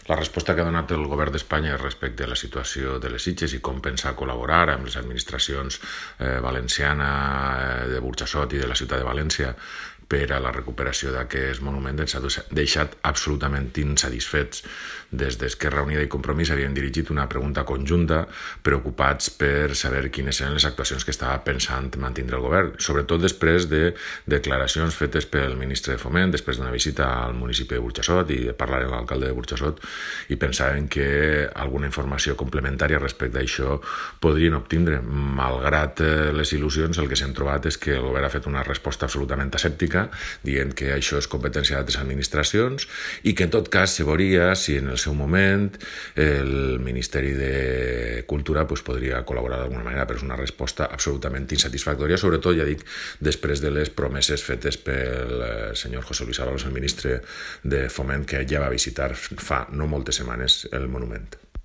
La resposta que ha donat el govern d'Espanya respecte a la situació de les Sitges i com pensa col·laborar amb les administracions valenciana de Burjassot i de la ciutat de València per a la recuperació d'aquest monument ens ha deixat absolutament insatisfets. Des d'Esquerra Unida i Compromís havien dirigit una pregunta conjunta preocupats per saber quines eren les actuacions que estava pensant mantenir el govern, sobretot després de declaracions fetes pel ministre de Foment, després d'una visita al municipi de Burjassot i de parlar amb l'alcalde de Burjassot, i pensaven que alguna informació complementària respecte a això podrien obtindre. Malgrat les il·lusions, el que s'hem trobat és que el govern ha fet una resposta absolutament asèptica, dient que això és competència d'altres administracions i que en tot cas se veuria si en el seu moment el Ministeri de Cultura podria col·laborar d'alguna manera, però és una resposta absolutament insatisfactòria, sobretot, ja dic, després de les promeses fetes pel senyor José Luis Ábalos, el ministre de Foment, que ja va visitar fa no moltes setmanes el monument.